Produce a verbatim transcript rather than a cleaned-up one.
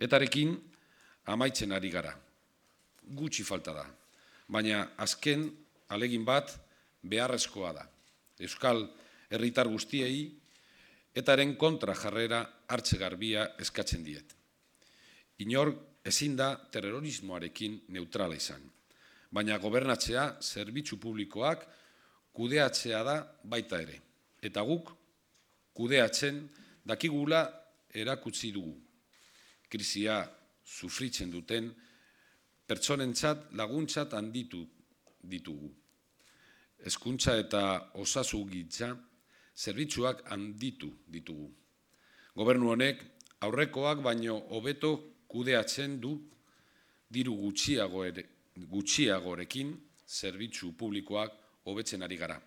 Etarekin amaitzen ari gara. Gutxi falta da. Baina azken alegin bat beharrezkoa da. Euskal herritar guztiei etaren kontra jarrera hartze garbia eskatzen diet. Inor ezin da terrorismoarekin neutrala izan. Baina gobernatzea zerbitzu publikoak kudeatzea da baita ere. Eta guk kudeatzen dakigula erakutsi dugu. Krisia sufritzen duten pertsonentzat laguntzat handitu ditugu. Hezkuntza eta osasungintza zerbitzuak handitu ditugu. Gobernu honek aurrekoak baino hobeto kudeatzen du diru gutxiago ere, gutxiagorekin zerbitzu publikoak hobetzen ari gara.